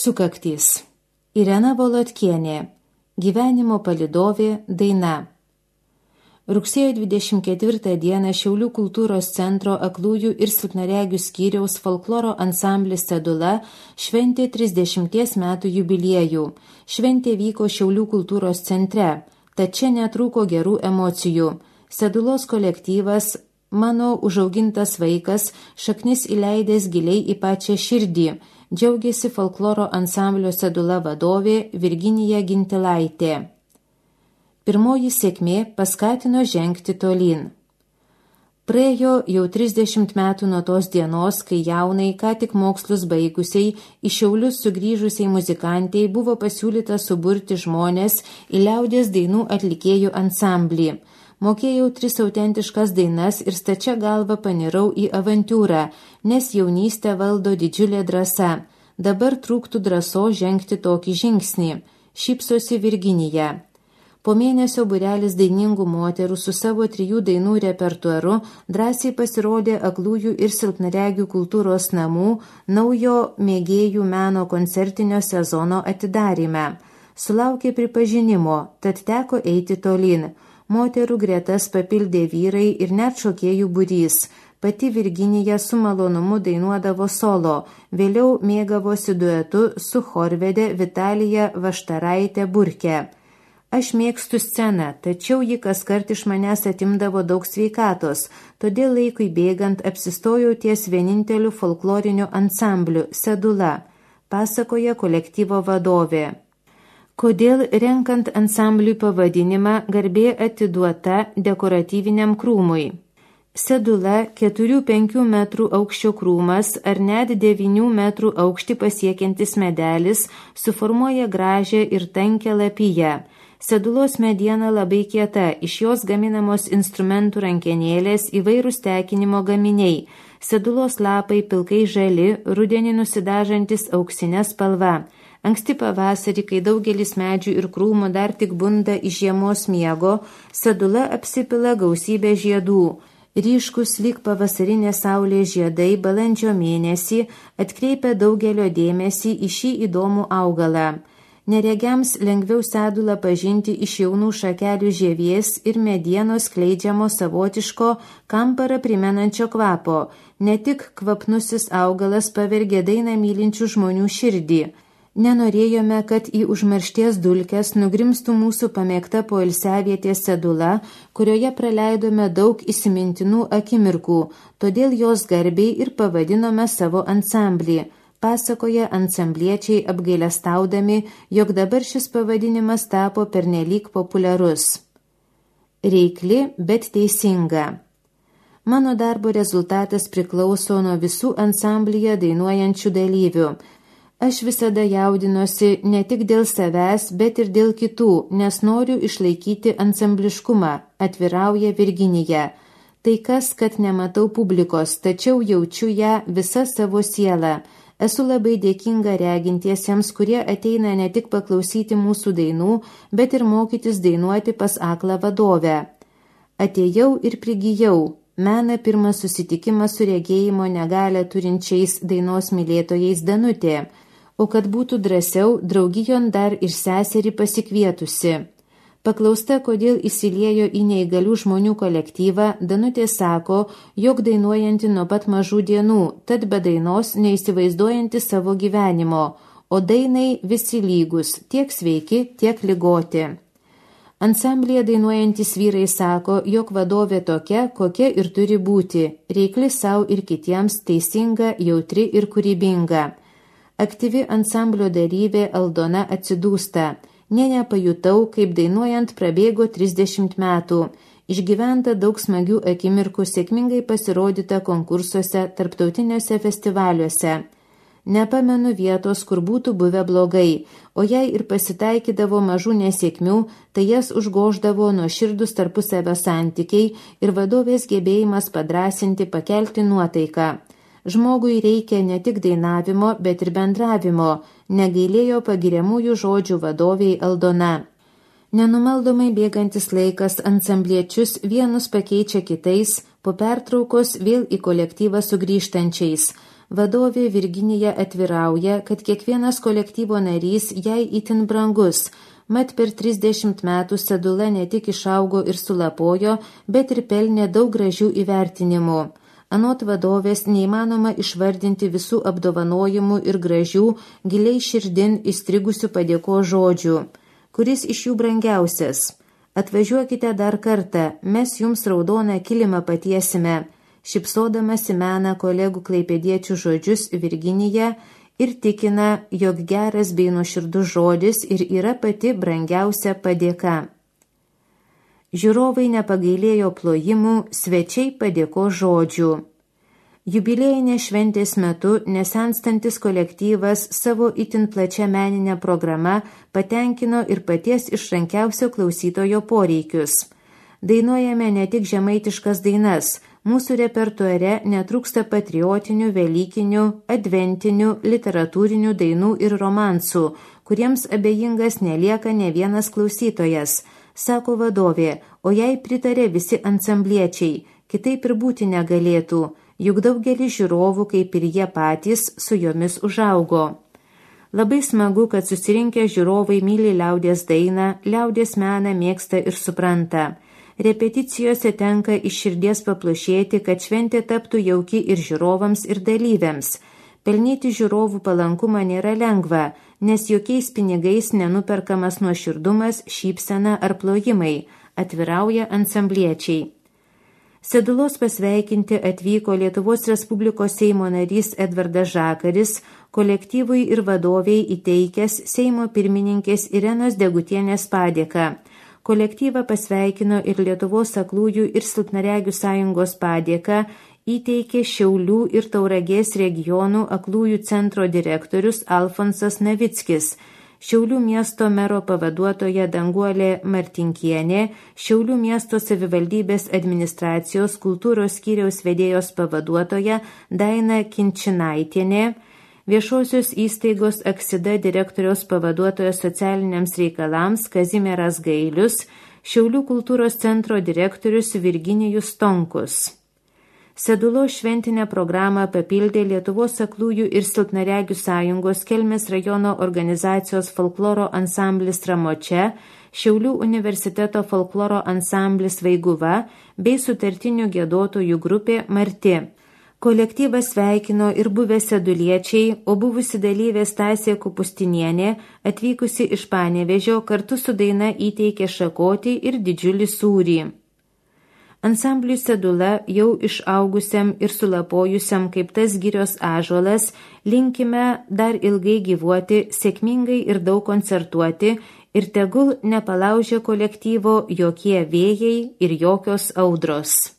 Sukaktys. Irena Volodkienė. Gyvenimo palydovė daina. Rugsėjo 24 dieną Šiaulių kultūros centro aklųjų ir silpnaregių skyriaus folkloro ansamblis Sedula šventė 30 metų jubiliejų. Šventė vyko Šiaulių kultūros centre, tad čia netrūko gerų emocijų. Sedulos kolektyvas, mano užaugintas vaikas, šaknis įleidęs giliai į pačią širdį, džiaugiasi folkloro ansamblio Sedula vadovė Virginija Gintilaitė. Pirmoji sėkmė paskatino žengti tolyn. Praėjo jau 30 metų nuo tos dienos, kai jaunai, ką tik mokslus baigusiai, į Šiaulius sugrįžusiai muzikantai buvo pasiūlyta suburti žmonės į liaudies dainų atlikėjų ansamblį. Mokėjau 3 autentiškas dainas ir stačia galva panirau į avantiūrą, nes jaunystę valdo didžiulė drąsa. Dabar trūktų drąsos žengti tokį žingsnį, šypsosi Virginija. Po mėnesio būrelis dainingų moterų su savo 3 dainų repertuaru drąsiai pasirodė aklųjų ir silpnaregių kultūros namų naujo mėgėjų meno koncertinio sezono atidaryme. Sulaukė pripažinimo, tad teko eiti tolyn. Moterų gretas papildė vyrai ir net šokėjų būrys. Pati Virginija su malonumu dainuodavo solo, vėliau mėgavosi duetu su chorvedė Vitalija Vaštaraitė Burke. Aš mėgstu sceną, tačiau ji kaskart iš manęs atimdavo daug sveikatos, todėl laikui bėgant apsistojau ties vieninteliu folkloriniu ansambliu Sedula, pasakoja kolektyvo vadovė. Kodėl renkant ansambliui pavadinimą garbė atiduota dekoratyviniam krūmui? Sedula 4-5 metrų aukščio krūmas ar net 9 metrų aukštį pasiekiantis medelis suformuoja gražią ir tankę lapiją. Sedulos mediena labai kieta, iš jos gaminamos instrumentų rankenėlės, įvairūs tekinimo gaminiai. Sedulos lapai pilkai žali, rudenį nusidažantis auksinė spalva. Anksti pavasarį, kai daugelis medžių ir krūmų dar tik bunda iš žiemos miego, sedula apsipila gausybę žiedų. Ryškus lyg pavasarinė saulė žiedai balandžio mėnesį atkreipia daugelio dėmesį į šį įdomų augalą. Neregiams lengviau sedulą pažinti iš jaunų šakelių žievės ir medienos skleidžiamo savotiško kamparą primenančio kvapo. Ne tik kvapnusis augalas pavergė dainą mylinčių žmonių širdį. Nenorėjome, kad į užmaršties dulkes nugrimstų mūsų pamėgta poilsiavietė Sedula, kurioje praleidome daug įsimintinų akimirkų, todėl jos garbiai ir pavadinome savo ansamblį, pasakoja ansambliečiai apgailestaudami, jog dabar šis pavadinimas tapo pernelyg populiarus. Reikli, bet teisinga. Mano darbo rezultatas priklauso nuo visų ansamblyje dainuojančių dalyvių. Aš visada jaudinuosi ne tik dėl savęs, bet ir dėl kitų, nes noriu išlaikyti ansambliškumą, atvirauja Virginija. Tai kas, kad nematau publikos, tačiau jaučiu ją visą savo sielą. Esu labai dėkinga regintiesiems, kurie ateina ne tik paklausyti mūsų dainų, bet ir mokytis dainuoti pas aklą vadovę. Atėjau ir prigijau. Mena pirmas susitikimas su regėjimo negalią turinčiais dainos mylėtojais Danutė. O kad būtų drąsiau, draugijon dar ir seserį pasikvietusi. Paklausta, kodėl įsiliejo į neįgalių žmonių kolektyvą, Danutė sako, jog dainuojanti nuo pat mažų dienų, tad be dainos neįsivaizduojanti savo gyvenimo, o dainai visi lygus, tiek sveiki, tiek ligoti. Ansamblėje dainuojantis vyrai sako, jog vadovė tokia, kokia ir turi būti, reikli savo ir kitiems, teisinga, jautri ir kūrybinga. Aktyvi ansamblio dalyvė Aldona atsidūsta. Nepajutau, kaip dainuojant prabėgo 30 metų. Išgyventa daug smagių akimirkų, sėkmingai pasirodyta konkursuose, tarptautiniuose festivaliuose. Nepamenu vietos, kur būtų buvę blogai, o jei ir pasitaikydavo mažų nesėkmių, tai jas užgoždavo nuoširdūs tarpusavio santykiai ir vadovės gebėjimas padrąsinti, pakelti nuotaiką. Žmogui reikia ne tik dainavimo, bet ir bendravimo, negailėjo pagiriamųjų žodžių vadoviai Aldona. Nenumaldomai bėgantis laikas ansambliečius vienus pakeičia kitais, po pertraukos vėl į kolektyvą sugrįžtančiais. Vadovė Virginija atvirauja, kad kiekvienas kolektyvo narys jai itin brangus, mat per 30 metų Sedula ne tik išaugo ir sulapojo, bet ir pelnė daug gražių įvertinimų. Anot vadovės neįmanoma išvardinti visų apdovanojimų ir gražių, giliai širdin įstrigusių padėkos žodžių. Kuris iš jų brangiausias? Atvažiuokite dar kartą, mes jums raudoną kilimą patiesime. Šipsodamas įmena kolegų klaipėdiečių žodžius Virginija ir tikina, jog geras bei nuoširdus žodis ir yra pati brangiausia padėka. Žiūrovai nepagailėjo plojimų, svečiai padėkos žodžių. Jubiliejinės šventės metu nesenstantis kolektyvas savo itin plačia meninę programą patenkino ir paties išrankiausio klausytojo poreikius. Dainuojame ne tik žemaitiškas dainas, mūsų repertuare netrūksta patriotinių, velykinių, adventinių, literatūrinių dainų ir romansų, kuriems abejingas nelieka ne vienas klausytojas, sako vadovė, o jai pritarė visi ansambliečiai, kitaip ir būti negalėtų, juk daugelis žiūrovų, kaip ir jie patys, su jomis užaugo. Labai smagu, kad susirinkę žiūrovai myli liaudies dainą, liaudies meną mėgsta ir supranta. Repeticijose tenka iš širdies paplušėti, kad šventė taptų jauki ir žiūrovams, ir dalyviams. Pelnyti žiūrovų palankumą nėra lengva, nes jokiais pinigais nenuperkamas nuoširdumas, šypsena ar plojimai, atvirauja ansambliečiai. Sedulos pasveikinti atvyko Lietuvos Respublikos Seimo narys Edvardas Žakaris, kolektyvui ir vadoviai įteikęs Seimo pirmininkės Irenos Degutienės padėką. Kolektyvą pasveikino ir Lietuvos aklųjų ir silpnaregių sąjungos padėką įteikė Šiaulių ir Tauragės regionų aklųjų centro direktorius Alfonsas Navickis, Šiaulių miesto mero pavaduotoja Danguolė Martinkienė, Šiaulių miesto savivaldybės administracijos kultūros skyriaus vedėjos pavaduotoja Daina Kinčinaitienė, Viešosios įstaigos Aksida direktoriaus pavaduotojas socialiniams reikalams Kazimieras Gailius, Šiaulių kultūros centro direktorius Virginijus Stonkus. Sedulos šventinę programą papildė Lietuvos aklųjų ir silpnaregių sąjungos Kelmės rajono organizacijos folkloro ansamblis Ramočia, Šiaulių universiteto folkloro ansamblis Vaiguva bei sutartinių giedotojų grupė Marti. Kolektyvas sveikino ir buvę seduliečiai, o buvusi dalyvė Stasė Kupustinienė, atvykusi iš Panevėžio, kartu su daina įteikė šakotį ir didžiulį sūrį. Ansambliui Sedula, jau išaugusiam ir sulapojusiam kaip tas girios ąžuolas, linkime dar ilgai gyvuoti, sėkmingai ir daug koncertuoti ir tegul nepalaužia kolektyvo jokie vėjai ir jokios audros.